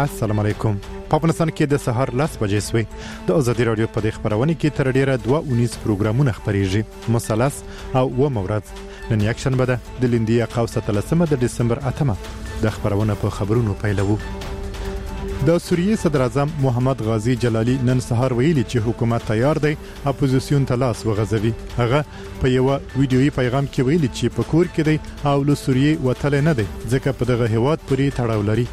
السلام علیکم. په افغانستان کې د سهار 10 بجې سوې. د ازادي راډیو په دې خبرونه کې تر ډیره دوه اونیز پروګرامونه خبرېږي، مثلث او اوومه ورځ. نن یکشنبه ده، د لیندۍ قوس 13 د ډسمبر 8 د خبرونه په خبرونو پیلوو. د سوریې صدر اعظم محمد غازي جلالی نن سهار ویلي چې حکومت تیار دی اپوزیسیون ته لاس وغځوي. هغه په یوه ویډیويي پیغام کې ویلي چې په کور کې دی او له سوریې وتلی نه دی، ځکه په دغه هیواد پورې تړاو لري.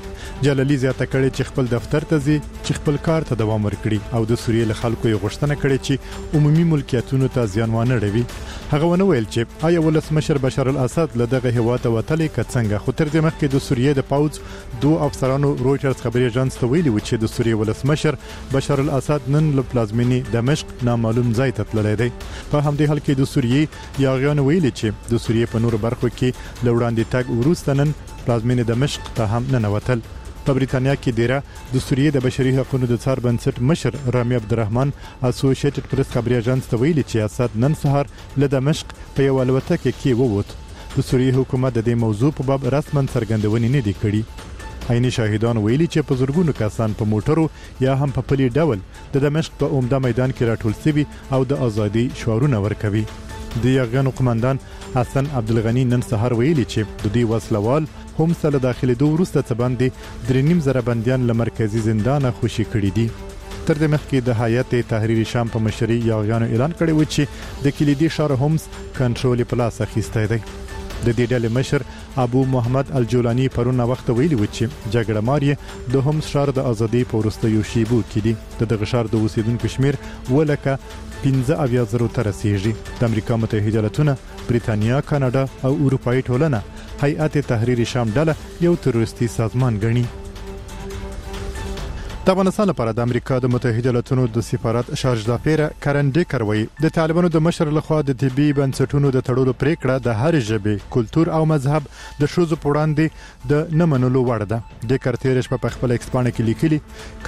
جلالی زیاته کړې چې خپل دفتر ته ځي چې خپل کار ته دوام ورکړي او د سوریې له خلکو یې غوښتنه کړې چې عمومي ملکیتونو ته زیان وانه ړوي. هغه ونه ویل چې آیا ولسمشر بشار الاسد له دغه هیواده وتلی که څنګه، خو تر دې مخکې د سوریې د پوځ دوو افسرانو رویټرز خبري اژانس ته ویلي و چې د سوریې ولسمشر بشار الاسد نن له پلازمینې دمشق نامعلوم ځای ته تللی دی. په همدې حال کې د سوریې یاغیانو ویلي چې د سوریې په نورو برخو کې له وړاندې تګ وروسته نن پلازمینې دمشق ته هم ننوتل. په بریتانیا کې دیره د سوریې د بشري حقونو د څار بنسټ مشر رامي عبدالرحمن اسوشیټډ پریس خبري اژانس ته ویلي چې اسد نن سهار له دمشق په یوه الوتکه کې ووت. د سوریې حکومت د دې موضوع په باب رسما څرګندونې نه دي کړي. عیني شاهدانو ویلي چې په زرګونو کسان په موټرو یا هم په پلي ډول د دمشق په عمده میدان کې راټول سوي او د ازادۍ شعارونه ورکوي. د یاغیانو قومندان حسن عبدالغني نن سهار ویلي چې د دوی وسلوال حمص ته له داخلېدو وروسته څه باندې 3,500 بندیان له مرکزي زندانه خوشي کړي دي. تر دې مخکې د هیئت تحریر شام په مشرۍ یاغیانو اعلان کړی و چې د کلیدي ښار حمص کنټرول یې په لاس اخیستی دی. د دې ډلې مشر ابو محمد الجولاني پرون ناوخته ویلي و چې جګړه مار یې د حمص ښار د ازادۍ په وروستیو شیبو کې دي. د دغه ښار د اوسېدونکو شمېر 775,000 ته رسېږي. د امریکا متحده ایالتونه، بریتانیا، کاناډا او اروپایي ټولنه هیئت تحریر شام ډله یو تروریستي سازمان ګڼي. د افغانستان لپاره د امریکا د متحده ایالتونو د سفارت شارژدافیره کرن ډیکر وایي د طالبانو د مشر لخوا د طبي بنسټونو د تړلو پریکړه د هرې ژبې، کلتور او مذهب د ښځو په وړاندې د نه منلو وړ ده. ډیکر تېره شپه په خپل ایکسپاڼه کې لیکلي،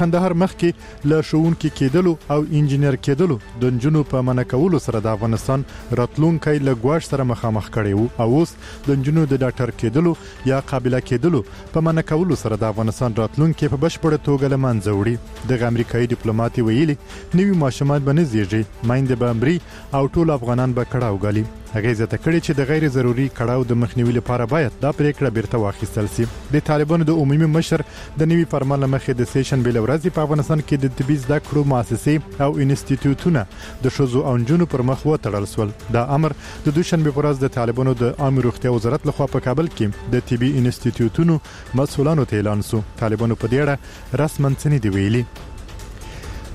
کندهار مخکې له ښوونکي کېدلو او انجینر کېدلو د نجونو په منع کولو سره د افغانستان راتلونکی له ګواښ سره مخامخ کړی و او اوس د نجونو د ډاکټر کېدلو یا قابله کېدلو په منع کولو سره د افغانستان راتلونکی په بشپړه توګه له منځه وړي. دغه امریکایي ډیپلوماتې ویلي، نوي ماشومان به نه زیږي، میندې به مري او ټول افغانان به کړاو ګالي. هغې زیاته کړې چې د غیر ضروري کړاو د مخنیوي لپاره باید دا پریکړه بیرته واخیستل سي. د طالبانو د عمومي مشر د نوي فرمان له مخې د سې شنبې له ورځې په افغانستان کې د طبي زده کړو مؤسسې او انستیتیوتونه د ښځو او نجونو پر مخ وتړل سول. دا امر د دوشنبې پر ورځ د طالبانو د عامې روغتیا وزارت لخوا په کابل کې د طبي انستیتیوتونو مسؤلانو ته اعلان سو. طالبانو په دې اړه رسما څه نه دي ویلي.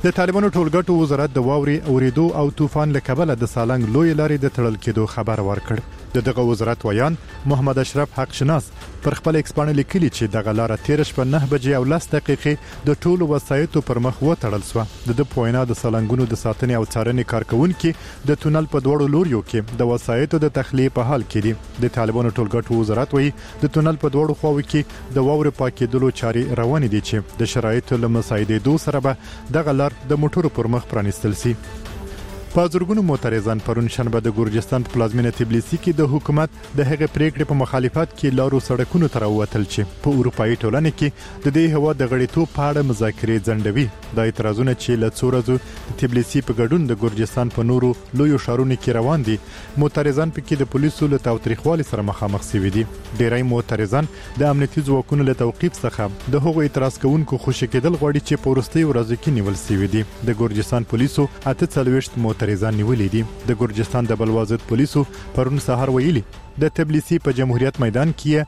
د طالبانو ټولګټو وزارت د واورې اورېدو او طوفان له کبله د سالنګ لویې لارې د تړل کېدو خبر ورکړ. د دغه وزارت ویاند محمد اشرف حق شناس پر خپل ایکسپاڼه لیکلي چې دغه لاره تېره شپه 9:10 د ټولو وسایطو پر مخ وتړل سوه. د ده په وینا د سالنګونو د ساتنې او څارنې کارکوونکي د تونل په دواړو لوریو کې د وسایطو د تخلیې په حال کې دي. د طالبانو ټولګټو وزارت وایي د تونل په دواړو خواوو کې د واورې پاکېدلو چارې روانې دي چې د شرایطو له مساعدېدو سره به دغه لار د موټرو پر مخ پرانیستل سي. په زرګونو معترضان پرون شنبه د ګرجستان په پلازمینه تبلیسي کې د حکومت د هغې پریکړې په مخالفت کې لارو سړکونو ته راووتل چې په اروپایي ټولنه کې د دې هیواد د غړیتوب په اړه مذاکرې ځنډوي. دا اعتراضونه چې له څو ورځو د تبلیسي په ګډون د ګرجستان په نورو لویو ښارونو کې روان دي، معترضان پکې د پولیسو له تاوتریخوالي سره مخامخ شوي دي. ډیری معترضان د امنیتي ځواکونو له توقیف څخه د هغو اعتراض کوونکو خوشې کېدل غواړي چې په وروستیو ورځو کې نیول شوي دي. د ګرجستان پولیسو 48 معترضان نیولي دي. د ګرجستان د بلوا ضد پولیسو پرون سهار ویلي، د تبلیسي په جمهوریت میدان کې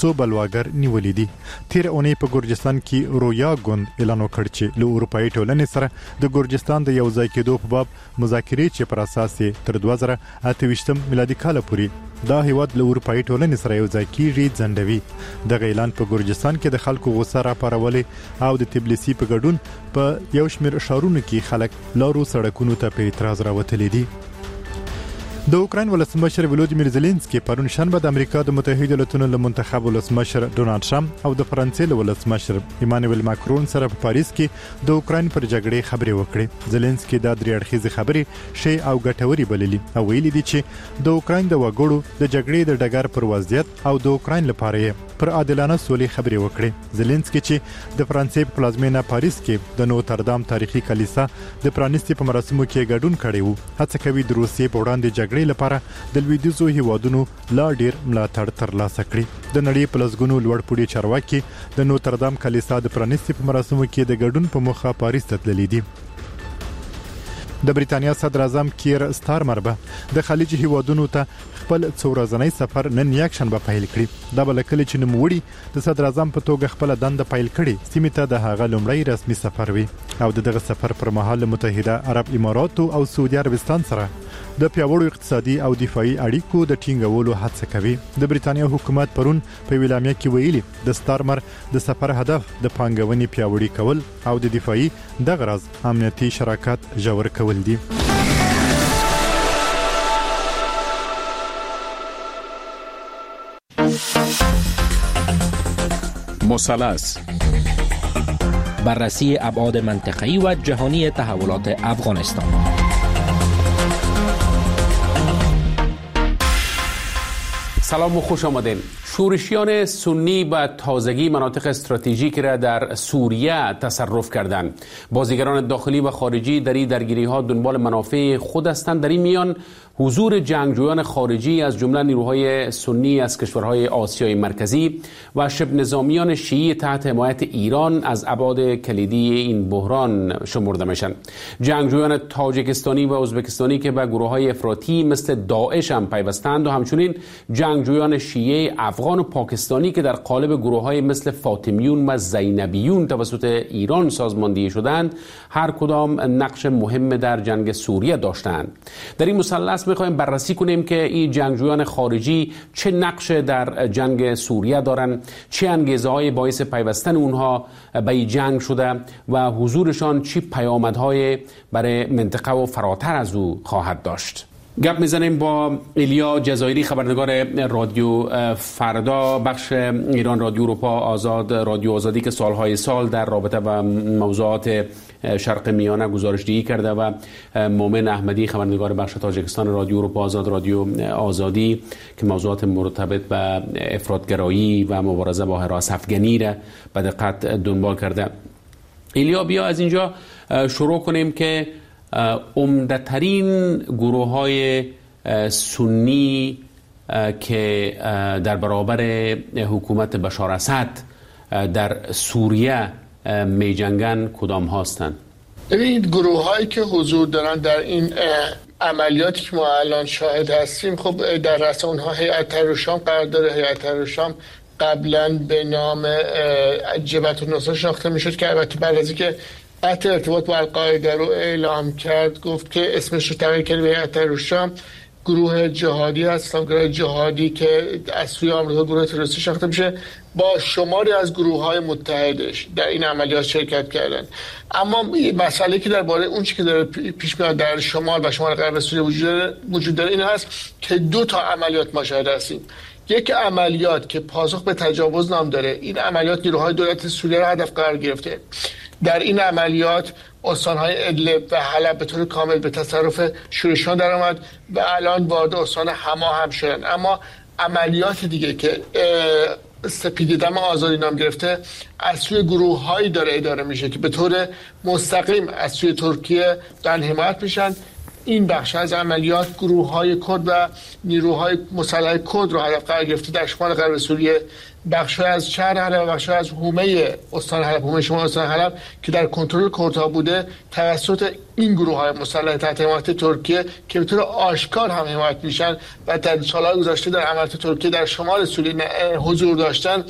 څو بلواګر نیولي دي. تېره اونۍ په ګرجستان کې رویا ګوند اعلان وکړ چې له اروپایي ټولنې سره د ګرجستان د یو ځای کېدو په باب مذاکرې چې پر اساس یې تر 2028 میلادي کاله پورې دا هیواد له اروپایي ټولنې سره یو ځای کیږي ځنډوي. دغه اعلان په ګرجستان کې د خلکو غوسه راپارولې او د تبلیسي په ګډون په یو شمېر ښارونو کې خلک لارو سړکونو ته په اعتراض راوتلي دي. د اوکراین ولسمشر ولودیمیر زیلینسکي پرون شنبه د امریکا د متحده ایالتونو له منتخب ولسمشر ډونالد ټرمپ او د فرانسې له ولسمشر ایمانویل ماکرون سره په پاریس کې د اوکراین پر جګړې خبرې وکړې. زیلینسکي دا درې اړخیزې خبرې ښې او ګټورې بللي او ویلي دي چې د اوکراین د وګړو د جګړې د ډګر پر وضعیت او د اوکراین لپاره یې پر عادلانه سولې خبرې وکړې. زیلینسکي چې د فرانسې په پلازمېنه پاریس کې د نوتردام تاریخي کلیسا د پرانیستې په مراسمو کې ګډون کړی و، هڅه کوي د روسیې په وړاندې جګړې لپاره د لویدیځو هیوادونو لا ډیر ملاتړ ترلاسه کړي. د نړۍ په لسګونو لوړپوړي چارواکي د نوتردام کلیسا د پرانیستې په مراسمو کې د ګډون په موخه پاریس ته تللي دي. د بریتانیا صدراعظم کیر ستارمر به د خلیج هیوادونو ته خپل څو ورځنی سفر نن یکشنبه پیل کړي. دا به له کله چې نوموړي د صدراعظم په توګه خپله دنده پیل کړې، سیمې ته د هغه لومړی رسمي سفر وي او د دغه سفر پر مهال له متحده عرب اماراتو او سعودي عربستان سره د پیاوړو اقتصادي او دفاعي اړیکو د ټینګولو هڅه کوي. د بریتانیا حکومت پرون په یوه اعلامیه کې ویلي، د ستارمر د سفر هدف د پانګونې پیاوړي کول او د دفاعي دغه راز امنیتي شراکت ژور کول دي. مثلث بررسی ابعاد منطقه‌ای و جهانی تحولات افغانستان. سلام و خوش آمدین. شورشیان سنی به تازگی مناطق استراتژیک را در سوریه تصرف کردند. بازیگران داخلی و خارجی در این درگیری‌ها دنبال منافع خود هستند. در این میان حضور جنگجویان خارجی از جمله نیروهای سنی از کشورهای آسیای مرکزی و شبه نظامیان شیعی تحت حمایت ایران از ابعاد کلیدی این بحران شمرده میشن. جنگجویان تاجیکستانی و ازبکستانی که به گروه‌های افراطی مثل داعش هم پیوستند و همچنین جنگجویان شیعه افغان و پاکستانی که در قالب گروه‌های مثل فاطمیون و زینبیون توسط ایران سازماندهی شدند، هر کدام نقش مهم در جنگ سوریه داشتند. در این مثلث می‌خوایم بررسی کنیم که این جنگجویان خارجی چه نقش در جنگ سوریه دارند، چه انگیزه‌های باعث پیوستن اونها به این جنگ شده و حضورشان چه پیامدهای برای منطقه و فراتر از او خواهد داشت. گپ میزنیم با ایلیا جزایری، خبرنگار رادیو فردا، بخش ایران رادیو اروپا آزاد، رادیو آزادی که سالهای سال در رابطه با موضوعات شرق میانه گزارش دهی کرده، و مومن احمدی، خبرنگار بخش تاجیکستان رادیو اروپا آزاد، رادیو آزادی که موضوعات مرتبط به افراط‌گرایی و مبارزه با هراس افغانی را به دقت دنبال کرده. ایلیا، بیا از اینجا شروع کنیم که عمده‌ترین گروه‌های سنی که در برابر حکومت بشار اسد در سوریه می‌جنگن کدام هستند؟ ببینید، گروه‌هایی که حضور دارن در این عملیاتی که ما الان شاهد هستیم، خب در رأس اونها هیئت تحریر شام قرار داره. هیئت تحریر شام قبلا به نام جبهة النصره شناخته میشد که البته بعد از اینکه قطع ارتباط با القاعده رو اعلام کرد، گفت که اسمش رو تغییر کرد به هیئت تحریر شام. گروه جهادی هست، گروه جهادی که از سوی آمریکا گروه تروریستی شناخته میشه، با شماری از گروه‌های متحدش در این عملیات شرکت کردن. اما مسئله که درباره اون چیزی که داره پیش میاد در شمال و شمال غرب سوریه وجود داره این هست که دو تا عملیات ما شاهد هستیم. یک عملیات که پاسخ به تجاوز نام داره، این عملیات نیروهای دولت سوریه را هدف قرار گرفته. در این عملیات استان‌های ادلب و حلب به طور کامل به تصرف شورشیان درآمد و الان وارد استان حما هم شدن. اما عملیات دیگه که سپید دم آزادی نام گرفته، از سوی گروه‌هایی داره اداره میشه که به طور مستقیم از سوی ترکیه دارن حمایت میشن. این بخش از عملیات گروه‌های کرد و نیروهای مسلح کرد رو هدف قرار گرفته در شمال غرب سوریه، بخش‌های از شهر حلب و بخش‌های از حومه استان حلب، حومه شمال استان حلب که در کنترل کردها بوده، توسط این گروه‌های مسلح تحت حمایت ترکیه که به طور آشکار هم حمایت میشن و در سال‌های گذشته در عملیات ترکیه در شمال سوریه حضور داشتن،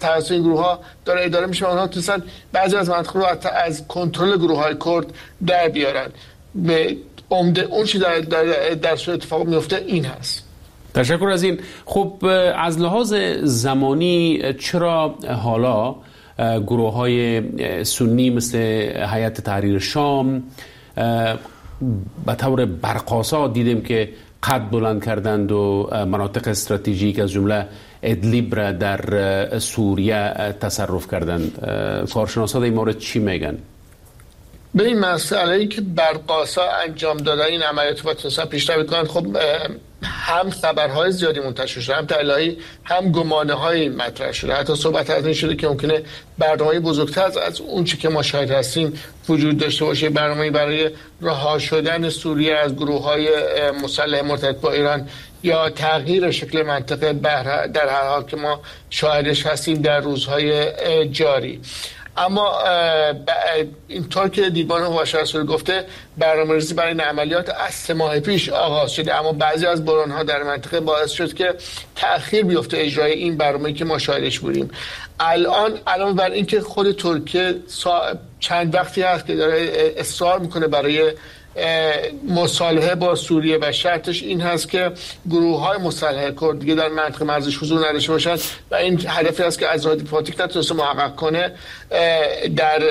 توسط این گروه‌ها داره اداره میشه و اونها تونستن بعضی از مناطق رو از کنترل گروه‌های کرد در بیارن. به عمده اون چی در سوریه اتفاق میفته این هست. تشکر از این. خب از لحاظ زمانی چرا حالا گروه های سنی مثل هیئت تحریر شام به طور برق‌آسا دیدیم که قد بلند کردند و مناطق استراتژیک از جمله ادلیب را در سوریه تصرف کردند. کارشناسا در این مورد چی میگن؟ به این مسئله ای که برق‌آسا انجام دادن این عملیات و تونستن پیشروی کنند، خب هم خبرهای زیادی منتشر شده، هم تحلیل‌هایی، هم گمانه‌هایی مطرح شده، حتی صحبت از این شده که ممکنه برنامه‌ای بزرگتر از اون چی که ما شاهد هستیم وجود داشته باشه، برنامه‌ای برای رها شدن سوریه از گروه‌های مسلح مرتبط با ایران یا تغییر شکل منطقه در هر حال که ما شاهدش هستیم در روزهای جاری. اما اینطور که دیوان حقوق گفته، برنامه‌ریزی برای این عملیات از 3 ماه پیش آغاز شده، اما بعضی از بحران‌ها در منطقه باعث شد که تأخیر بیفته اجرای این برنامه‌ای که ما شاهدش بودیم. الان علاوه بر اینکه خود ترکیه چند وقتی هست که داره اصرار میکنه برای مصالحه با سوریه و شرطش این هست که گروه‌های مسلح کرد دیگه در منطقه مرزش حضور نداشته باشند و این هدفی است که از راه دیپلماتیک نتونسته محقق کنه، در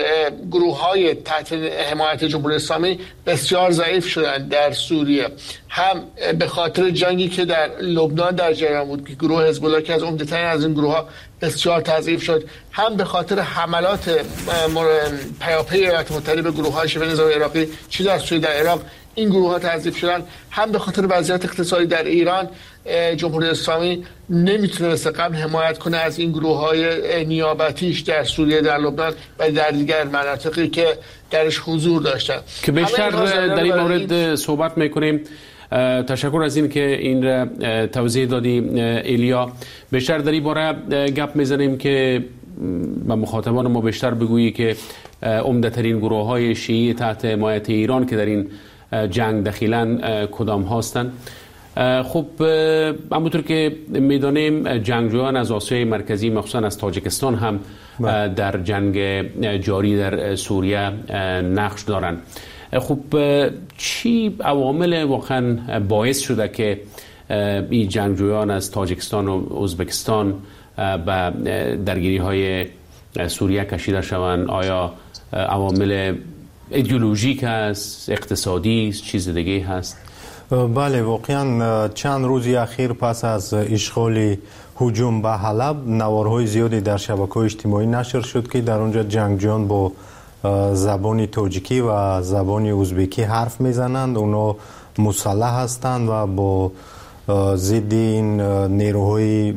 گروه‌های تحت حمایت جمهوری اسلامی بسیار ضعیف شدن در سوریه، هم به خاطر جنگی که در لبنان در جریان بود که گروه حزب الله که از عمده‌ترین از این گروه‌ها بسیار تضعیف شد، هم به خاطر حملات پیاپی ایالات متحده به گروه‌های شبه نظامی عراقی چه در سوریه در عراق این گروه‌ها تضعیف شدن، هم به خاطر وضعیت اقتصادی در ایران جمهوری اسلامی نمیتونه مثل قبل حمایت کنه از این گروه‌های نیابتیش در سوریه، در لبنان و در دیگر مناطقی که درش حضور داشتن که بیشتر در این مورد صحبت میکنیم. تشکر از این که این را توضیح دادی ایلیا. بیشتر در این باره گپ میزنیم که به مخاطبان ما بیشتر بگویی که عمده ترین گروه های شیعی تحت حمایت ایران که در این جنگ دخیلن کدام هستند. خب همونطور که میدانیم جنگجویان از آسیای مرکزی مخصوصا از تاجیکستان هم در جنگ جاری در سوریه نقش دارند. خب چی عوامل واقعا باعث شده که این جنگجویان از تاجیکستان و ازبکستان به درگیری های سوریه کشیده شوند؟ آیا عوامل ایدئولوژیک است، اقتصادی است، چیز دیگه هست؟ بله، واقعا چند روزی اخیر پس از اشغال هجوم به حلب نوارهای زیادی در شبکه‌های اجتماعی نشر شد که در اونجا جنگجویان با زبان تاجیکی و زبان ازبکی حرف میزنند. اونا مسلح هستند و با ضد این نیروهای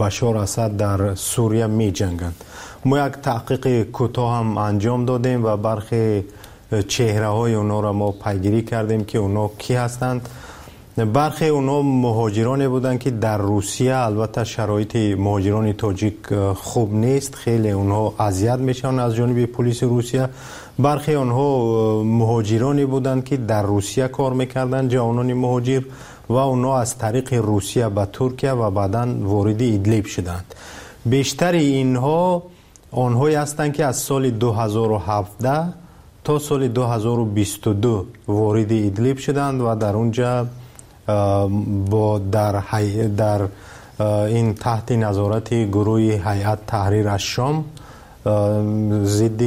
بشار اسد در سوریه می جنگند. ما یک تحقیق کوتاه هم انجام دادیم و برخی چهره های اونا را ما پیگیری کردیم که اونا کی هستند. برخی اونا مهاجرانی بودند که در روسیه، البته شرایط مهاجران تاجیک خوب نیست، خیلی اونها اذیت میشن از جانب پلیس روسیه. برخی آنها مهاجرانی بودند که در روسیه کار میکردند، جوانان مهاجر، و اونا از طریق روسیه به ترکیه و بعداً وارد ادلب شدند. بیشتر اینها آنهایی هستند که از سال 2017 تا سال 2022 وارد ادلب شدند و در اونجا با در این تحت نظارت گروه هیئت تحریر الشام ضد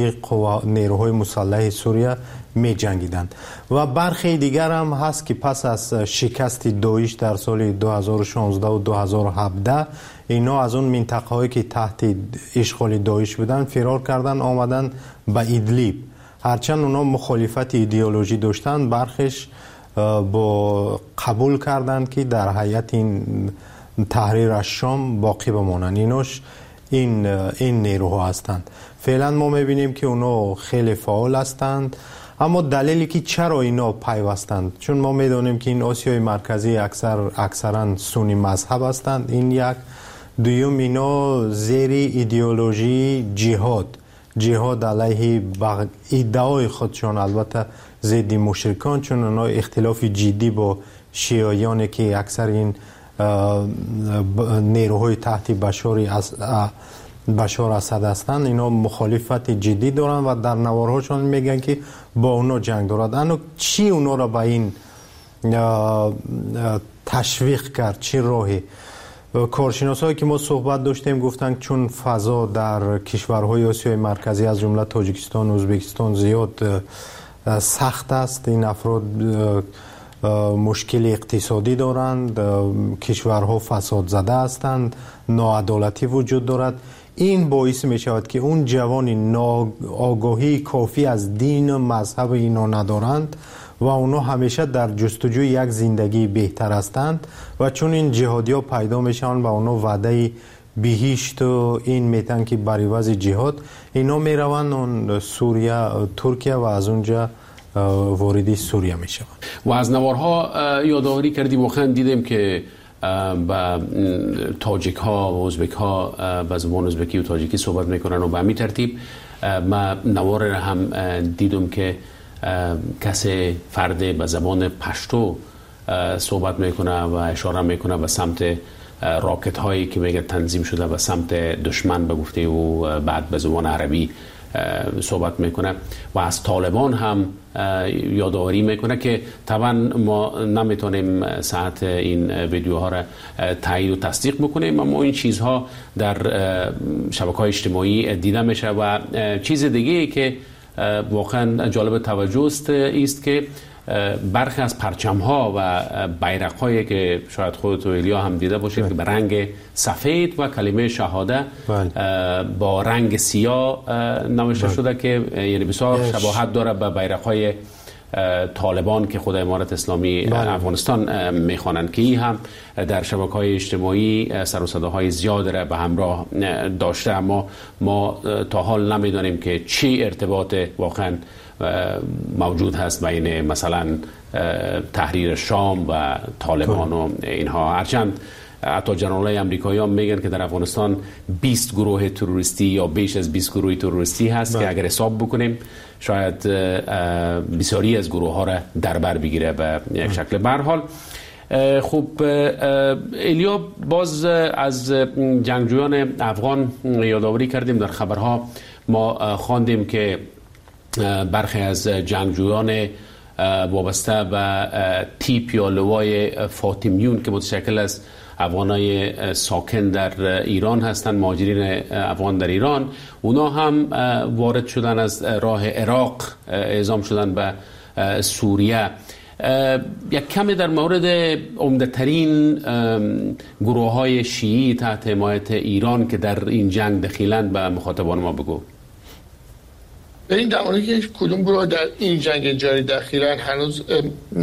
نیروهای مسلح سوریه می جنگیدند. و برخی دیگر هم هست که پس از شکست داعش در سال 2016 و 2017 اینا از اون منطقه هایی که تحت اشغال داعش بودن فرار کردن، آمدن به ادلب. هرچند اونا مخالفت ایدئولوژی داشتن، برخش با قبول کردند که در هیئت این تحریر الشام باقی بمانند. ایناش این نیروها هستند. فعلا ما میبینیم که اونا خیلی فعال هستند. اما دلیلی که چرا اینا پیوستند، چون ما میدانیم که این آسیای مرکزی اکثرا سنی مذهب هستند، این یک. دوم، اینا زیر ایدئولوژی جهاد علیه ادعای خودشان، البته ضد مشرکان، چون اونا اختلاف جدی با شیعیان که اکثر این نیروهای تحت بشار اسد هستند، اینا مخالفت جدی دارن و در نوارهاشون میگن که با اونا جنگ دارد. اما چی اونا را به این تشویق کرد؟ چی راهی؟ کارشناسایی که ما صحبت داشتیم گفتند چون فضا در کشورهای آسیای مرکزی از جمله تاجیکستان و ازبکستان زیاد سخت است. این افراد مشکل اقتصادی دارند، کشورها فساد زده هستند، ناعدالتی وجود دارد. این باعث می شود که اون جوان آگاهی کافی از دین و مذهب اینا ندارند و اونا همیشه در جستجوی یک زندگی بهتر هستند و چون این جهادی ها پیدا میشن و اونا وعده بهشت و این میتن که بر عوض جهاد اینا میروند اون سوریه، ترکیه و از اونجا وارد سوریه میشوند. و از نوارها یادآوری کردی، واقعا دیدیم که با تاجیک ها و ازبک ها به زبان ازبکی و تاجیکی صحبت میکنن و به همین ترتیب ما نوار را هم دیدم که کسی فرد به زبان پشتو صحبت میکنه و اشاره میکنه به سمت راکت هایی که میگه تنظیم شده به سمت دشمن به گفته او، بعد به زبان عربی صحبت میکنه و از طالبان هم یادآوری میکنه که طبعا ما نمیتونیم ساعت این ویدیوها را تایید و تصدیق بکنیم، اما این چیزها در شبکه‌های اجتماعی دیده میشه. و چیز دیگه که واقعا جالب توجه است که برخی از پرچم ها و بیرق هایی که شاید خودت و ایلیا هم دیده باشید که به رنگ سفید و کلمه شهاده با رنگ سیاه نوشته شده که یعنی بسیار شباهت داره به بیرق های طالبان که خود امارت اسلامی افغانستان میخوانند، که این هم در شبکه‌های اجتماعی سر و صداهای زیاد را به همراه داشته. اما ما تا حال نمیدانیم که چی ارتباط واقعا موجود هست بین مثلا تحریر شام و طالبان و اینها. هرچند حتی جنرال‌های امریکایی هم میگن که در افغانستان 20 گروه تروریستی یا بیش از 20 گروه تروریستی هست که اگر حساب بکنیم شاید بسیاری از گروه ها را در بر بگیره به یک شکل. به هر حال خب ایلیا، باز از جنگجویان افغان یادآوری کردیم، در خبرها ما خواندیم که برخی از جنگجویان وابسته به تیپ یا لوای فاطمیون که متشکل از افغانای ساکن در ایران هستند، مهاجرین افغان در ایران، اونا هم وارد شدن از راه عراق، اعزام شدن به سوریه. یک کمی در مورد عمده‌ترین گروه‌های شیعی تحت حمایت ایران که در این جنگ دخیلند به مخاطبان ما بگو. این در مورد که کدوم گروه در این جنگ جاری دخیلن هنوز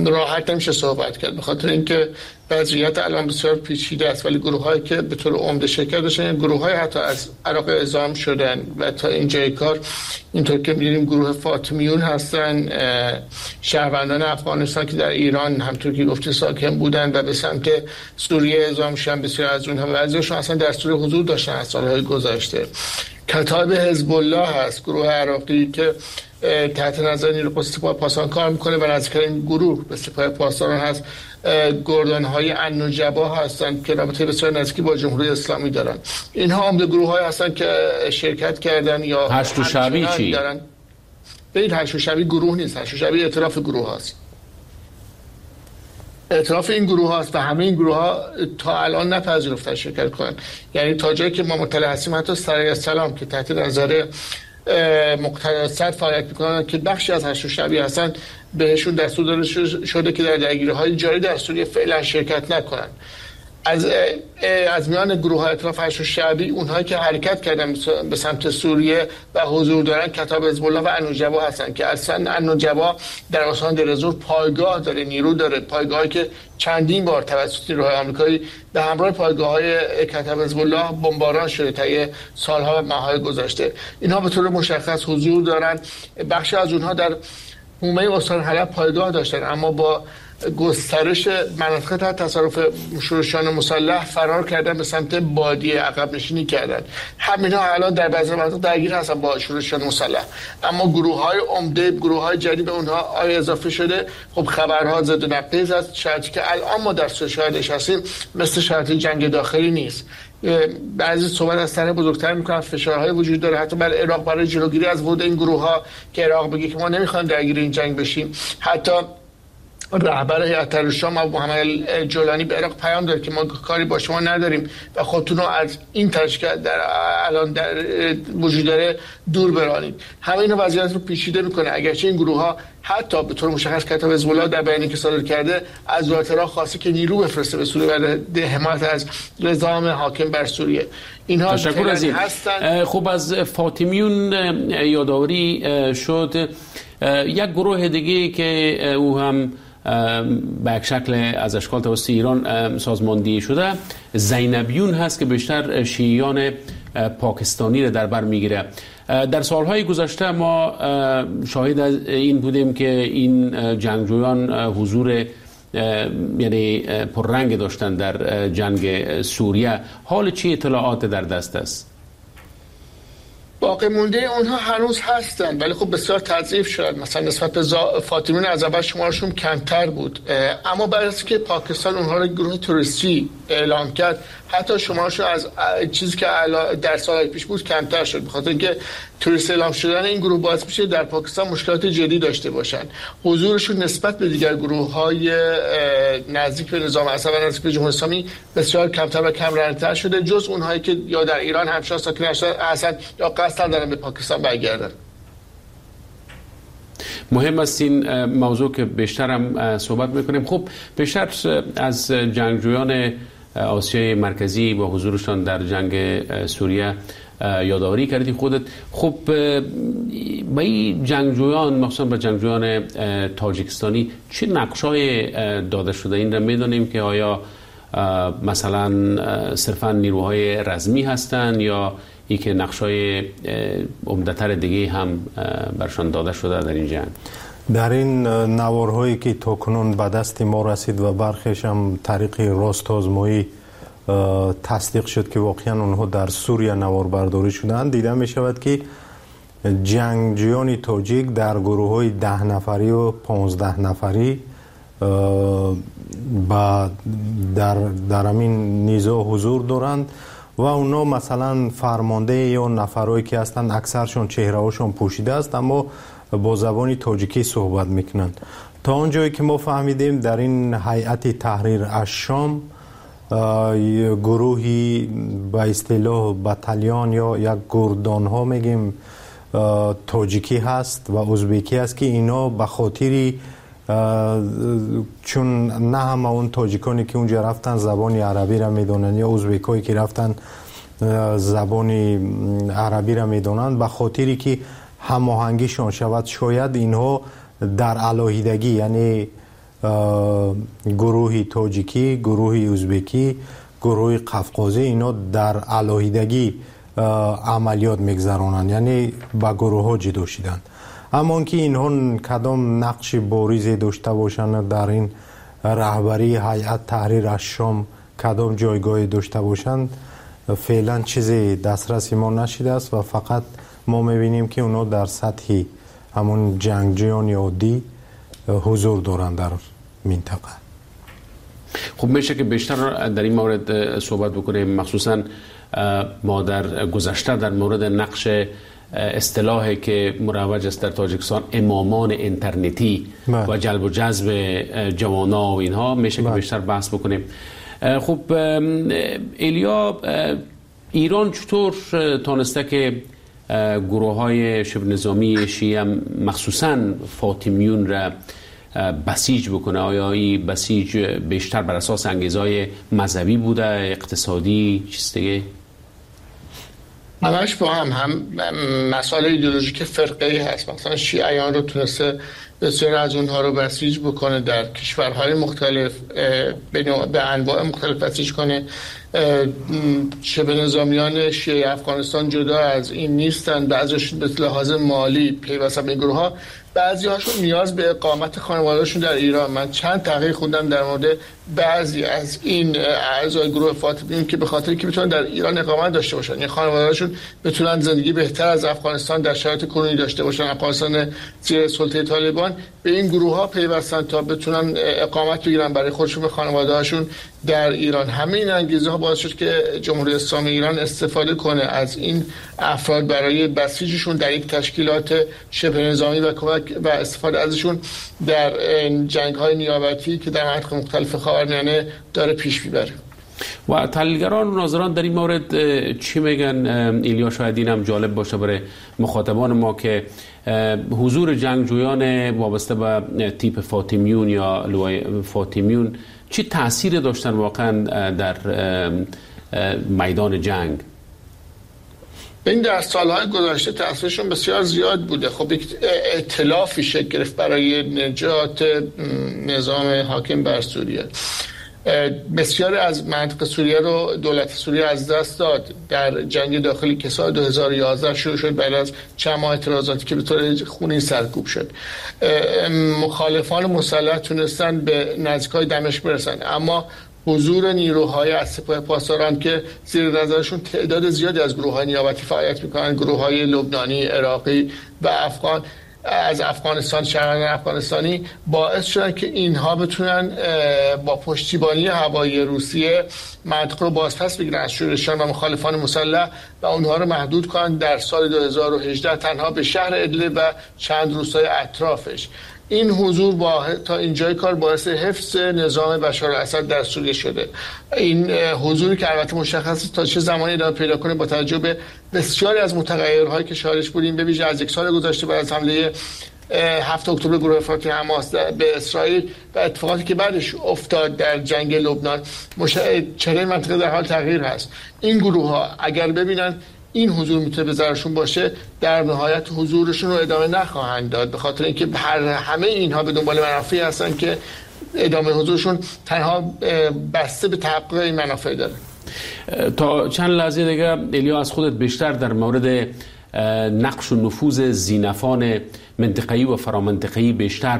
راحت نمیشه صحبت کرد، به خاطر اینکه وضعیت الان بسیار پیچیده است. ولی گروه‌هایی که به طور عمده شرکت داشتن، گروه‌های حتی از عراق اعزام شدن و تا اینجای کار اینطور که می‌بینیم گروه فاطمیون هستن، شهروندان افغانستان که در ایران همطور که گفتی ساکن بودن و به سمت سوریه اعزام شدن. بسیار از اونها بعضیشون اصلا در سوریه حضور داشتن از سال‌های گذشته. کتاب حزب الله هست، گروه عراقی که تحت نظر نیروی قدس سپاه پاسداران کار میکنه و نزدیکترین گروه به سپاه پاسداران هست. گردان‌های النجبا هستند که رابطه بسیار نزدیکی با جمهوری اسلامی دارن. اینها عمده گروه‌های هستند که شرکت کردن یا هشت شعبی چی دارن. ببین هشت شعبی گروه نیست، هشت شعبی ائتلاف گروه هاست. اعتراف این گروه هاست و همه این گروه ها تا الان نپذیرفتن شرکت کنن. یعنی تا جایی که ما مطلع هستیم حتی سرای السلام که تحت نظر مقتدی صدر فعالیت میکنن که بخشی از هشت شعبی هستن، بهشون دستور داده شده که در درگیری‌های جاری در سوریه فعلا شرکت نکنن. از میان گروه های ائتلاف هشت شعبی اونهایی که حرکت کردن به سمت سوریه و حضور دارن کتاب حزب الله و النجبا هستن که اصلا النجبا در استان دیرزور پایگاه داره، نیرو داره، پایگاهی که چندین بار توسط نیروهای آمریکایی به همراه پایگاه‌های کتاب حزب الله بمباران شده طی سالها و ماه‌های گذشته. اینها به طور مشخص حضور دارن. بخشی از اونها در حومه استان حلب پایگاه داشتن، اما با گسترش مناطق تحت تصرف شورشیان مسلح فرار کردن به سمت بادیه، عقب نشینی کردن. همینا الان در بعضی مناطق درگیر هستن با شورشیان مسلح، اما گروه‌های عمده، گروه‌های جدید به اونها آیا اضافه شده. خب خبرها زد و نقیض است. شرطی که الان ما در شاهدش هستیم مثل شرط جنگ داخلی نیست. بعضی صحبت از طرح بزرگتر میکنن، فشارهای وجود داره حتی بر عراق برای جلوگیری از ورود این گروه‌ها که عراق بگه که ما نمیخوایم درگیر این جنگ بشیم. حتی رهبر هیئت الشام محمد جولانی به عراق پیام داد که ما کاری با شما نداریم و خودتون رو از این تشکیل در الان در وجود داره دور برانید. همه اینا وضعیت رو پیچیده میکنه. اگرچه این گروه ها حتی به طور مشخص کتاب حزب الله در بیانیه‌ای که صادر کرده از دولت عراق خواسته که نیرو بفرسته به سوریه برای حمایت از نظام حاکم بر سوریه. اینها تشکر از این هستند. خب از فاطمیون یادآوری شد. یک گروه دیگه که او هم به یک شکل از اشکال توسط ایران سازماندهی شده، زینبیون هست که بیشتر شیعیان پاکستانی را در بر میگیره. در سالهای گذشته ما شاهد این بودیم که این جنگجویان حضور یعنی پررنگ داشتن در جنگ سوریه. حال چی اطلاعات در دست است؟ باقی مونده اونها هنوز هستن، ولی خب بسیار تضعیف شدن. مثلا نسبت به فاطمیون از اول شمارشون کمتر بود، اما بعد از که پاکستان اونها رو گروه تروریستی اعلام کرد، حتی شمارشون از چیزی که در سالهای پیش بود کمتر شد، به خاطر اینکه تروریست اعلام شدن این گروه باعث میشه در پاکستان مشکلات جدی داشته باشن. حضورشون نسبت به دیگر گروه‌های نزدیک به نظام اسد و نزدیک به جمهوری اسلامی بسیار کمتر و کم رنگ‌تر شده، جز اونهایی که یا در ایران همچنان ساکن هستن یا قصد دارن به پاکستان برگردن. مهم است این موضوع که بیشتر هم صحبت میکنیم. خب بیشتر از جنگجویان آسیای مرکزی با حضورشان در جنگ سوریه یادآوری کردی خودت. خب با این جنگجویان، مخصوصا با جنگجویان تاجیکستانی، چه نقشای داده شده؟ این را میدانیم که آیا مثلا صرفا نیروهای رزمی هستند یا ای که نقشای عمده‌تر دیگه هم برشان داده شده در این جنگ؟ در این نوارهایی که تاکنون به دست ما رسید و برخیش هم طریق راست آزمایی تصدیق شد که واقعا اونها در سوریه نوار برداری شدند، دیده می شود که جنگجویان تاجیک در گروه های 10 نفری و 15 نفری در همین نزاع حضور دارند و اونا مثلا فرمانده یا نفرهایی که هستند اکثرشون چهره‌هاشون پوشیده است، اما با زبان تاجیکی صحبت میکنند. تا آنجایی که ما فهمیدیم در این هیئت تحریر الشام گروهی به اصطلاح بتالیان یا یک گردان ها میگیم تاجیکی هست و ازبکی هست که اینا به خاطر چون نه همه اون تاجیکانی که اونجا رفتن زبان عربی را میدونن یا ازبکایی که رفتن زبان عربی را میدونن، به خاطری که هماهنگیشان شود شاید اینها در علاهیدگی، یعنی گروه تاجیکی، گروه ازبکی، گروه قفقازی، اینا در علاهیدگی عملیات میگذرانند، یعنی با گروه ها جدا شدند. اما که اینها کدام نقش باریزی داشته باشند در این رهبری هیئت تحریر الشام، کدام جایگاهی داشته باشند، فعلا چیزی دسترس ما نشده است و فقط ما میبینیم که اونا در سطح همون جنگجویان عادی حضور دارند در منطقه. خب میشه که بیشتر در این مورد صحبت بکنیم، مخصوصا ما در گذشته در مورد نقش اصطلاحی که مروج است در تاجیکستان، امامان اینترنتی و جلب و جذب جوانا و اینها، میشه که بیشتر بحث بکنیم. خب ایلیا، ایران چطور تانسته که گروه های شبه نظامی شیعه مخصوصا فاطمیون را بسیج بکنه؟ آیا این بسیج بیشتر بر اساس انگیزهای مذهبی بوده، اقتصادی، چیز دیگه؟ همش با هم مسائل ایدئولوژیک فرقه‌ای هست. مثلا شیعیان رو تونسته بسیار از اونها رو بسیج بکنه در کشورهای مختلف، به انواع مختلف بسیج کنه. شبه نظامیان شیعه افغانستان جدا از این نیستن، بعضیشون به لحاظ مالی پیوستن به این گروه ها، بعضی هاشون نیاز به اقامت خانواده‌شون در ایران. من چند تحقیق خوندم در مورد بعضی از این اعضای گروه فاطمیون که به خاطر اینکه بتونن در ایران اقامت داشته باشن، یعنی خانواده‌شون بتونن زندگی بهتر از افغانستان در شرایط کنونی داشته باشن، افغانستان زیر سلطه طالبان، به این گروه ها پیوستن تا بتونن اقامت بگیرن برای خودشون و خانواده‌هاشون در ایران. همین انگیزه ها باعث شد که جمهوری اسلامی ایران استفاده کنه از این افراد برای بسیجشون در یک تشکیلات شبه نظامی و کمک و استفاده ازشون در جنگ‌های نیابتی که در مناطق مختلف خاورمیانه داره پیش میبره. و تحلیلگران و ناظران در این مورد چی میگن ایلیا؟ شاید این هم جالب باشه برای مخاطبان ما که حضور جنگجویان وابسته به تیپ فاطمیون یا لوای فاطمیون چه تأثیر داشتن واقعا در میدان جنگ؟ این در سالهای گذشته تأثیرشون بسیار زیاد بوده. خب یک ائتلافی شکل گرفت برای نجات نظام حاکم بر سوریه. بسیاری از منطقه سوریه رو دولت سوریه از دست داد در جنگ داخلی که سال 2011 شروع شد، بعد از چند ماه اعتراضاتی که به طور خونین سرکوب شد. مخالفان مسلح تونستن به نزدیکای دمشق برسن، اما حضور نیروهای از سپاه پاسداران که زیر نظرشون تعداد زیادی از گروه‌های نیابتی فعالیت می‌کنن، گروه‌های لبنانی، عراقی و افغان از افغانستان، شهروندان افغانستانی، باعث شدن که اینها بتونن با پشتیبانی هوایی روسیه منطقه رو بازپس بگیرن از شورشیان و مخالفان مسلح و اونها رو محدود کنن در سال 2018 تنها به شهر ادلب و چند روستای اطرافش. این حضور تا اینجای کار باعث حفظ نظام بشار الاسد در سوریه شده. این حضوری که البته مشخص تا چه زمانی ادامه پیدا کنه با توجه به بسیاری از متغیرهایی که شاهدش بودیم، به ویژه از یک سال گذشته بعد از حمله 7 اکتبر گروه افراطی حماس به اسرائیل و اتفاقاتی که بعدش افتاد در جنگ لبنان، چهره منطقه در حال تغییر هست. این گروه‌ها اگر ببینن این حضور میتونه به ضررشون باشه، در نهایت حضورشون رو ادامه نخواهند داد، به خاطر اینکه همه اینها به دنبال منافعی هستن که ادامه حضورشون تنها بسته به تحقق این منافع داره. تا چند لحظه دیگه ایلیا از خودت بیشتر در مورد نقش و نفوذ زینفان منطقه‌ای و فرامنطقه‌ای بیشتر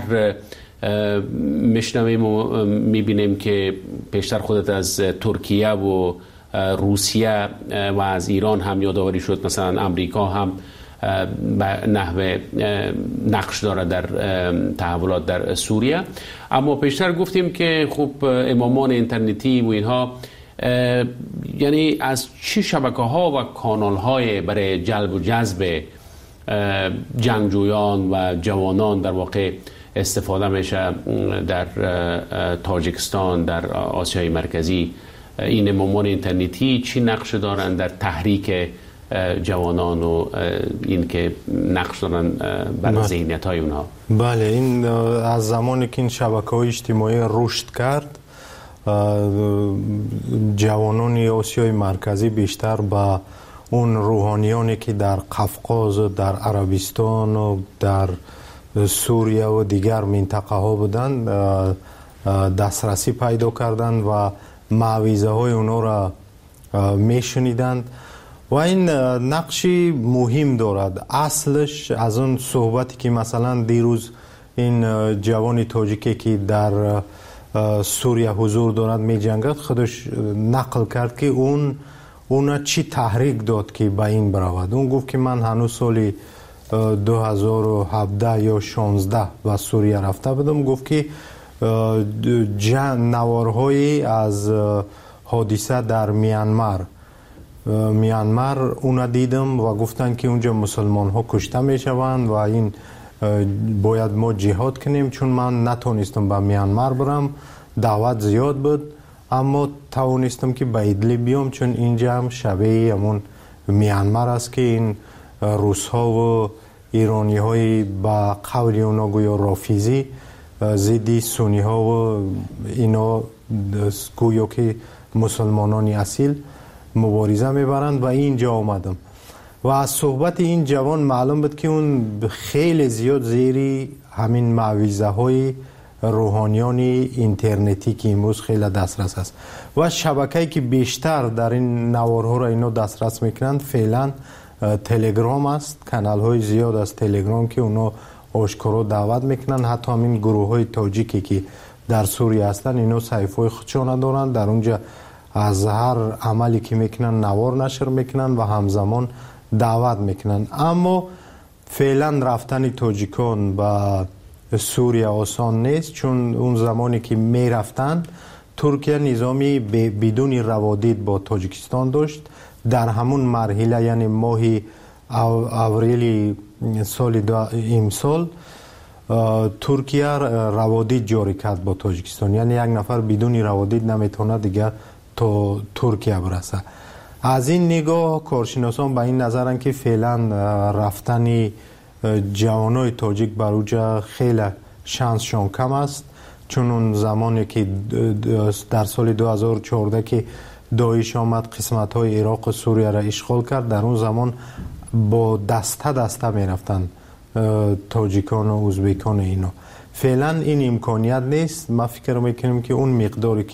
میشنویم و میبینیم که بیشتر خودت از ترکیه و روسیه و از ایران هم یادآوری شد، مثلا امریکا هم به نحو نقش داره در تحولات در سوریه. اما پیشتر گفتیم که خب امامان اینترنتی و اینها، یعنی از چه شبکه ها و کانال های برای جلب و جذب جنگجویان و جوانان در واقع استفاده میشه در تاجیکستان، در آسیای مرکزی؟ این امامان اینترنتی چی نقش دارن در تحریک جوانان و این که نقش دارن بر ذهنیت های اونها؟ بله، این از زمانی که این شبکه‌های اجتماعی رشد کرد، جوانان آسیای مرکزی بیشتر با اون روحانیانی که در قفقاز و در عربستان و در سوریه و دیگر منطقه ها بودند دسترسی پیدا کردند و معویزه های اونا را میشنیدند و این نقشی مهم دارد. اصلش از اون صحبتی که مثلا دیروز این جوان تاجیکی که در سوریه حضور دارد می جنگد، خودش نقل کرد که اون چی تحریک داد که به این برود. اون گفت که من هنوز سال 2017 یا 16 به سوریه رفته بودم. گفت که نوارهایی از حادثه در میانمار اونا دیدم و گفتن که اونجا مسلمان ها کشته میشوند و این باید ما جهاد کنیم، چون من نتونستم به میانمار برم، دعوت زیاد بود، اما توانستم که به ادلب بیام، چون اینجا هم شبیه همون میانمار است که این روس ها و ایرانی های با قول اونا گویا رافیزی ضد سنی ها و اینا گویا که مسلمانان اصیل مبارزه میبرند و اینجا آمدم. و از صحبت این جوان معلوم بود که اون خیلی زیاد زیری همین معویزه های روحانیان اینترنتی که امروز خیلی دسترس است و شبکه‌ای که بیشتر در این نوارها را اینا دسترس میکنند فعلا تلگرام است. کانال های زیاد از تلگرام که اونا آشکارا دعوت میکنن، حتی همین گروه های تاجیکی که در سوریه هستند اینا صحیفه های خودشان دارند، در اونجا از هر عملی که میکنن نوار نشر میکنن و همزمان دعوت میکنن. اما فعلا رفتن تاجیکان به سوریه آسان نیست، چون اون زمانی که میرفتن ترکیه نظامی بدون روادید با تاجیکستان داشت. در همون مرحله، یعنی ماه اوریل سال امسال، ترکیه روادید جاری کرد با تاجیکستان، یعنی یک نفر بدون روادید نمیتونه دیگر تا ترکیه برسه. از این نگاه کارشناسان به این نظرن که فعلا رفتن جوانای تاجیک بر اوجا خیلی شانسشان کم است، چون اون زمانی که در سال 2014 که داعش آمد قسمت های عراق و سوریه را اشغال کرد، در اون زمان با دسته دسته می رفتن تاجیکان و ازبکان. اینا فعلا این امکانیت نیست. ما فکر میکنیم که اون مقداری که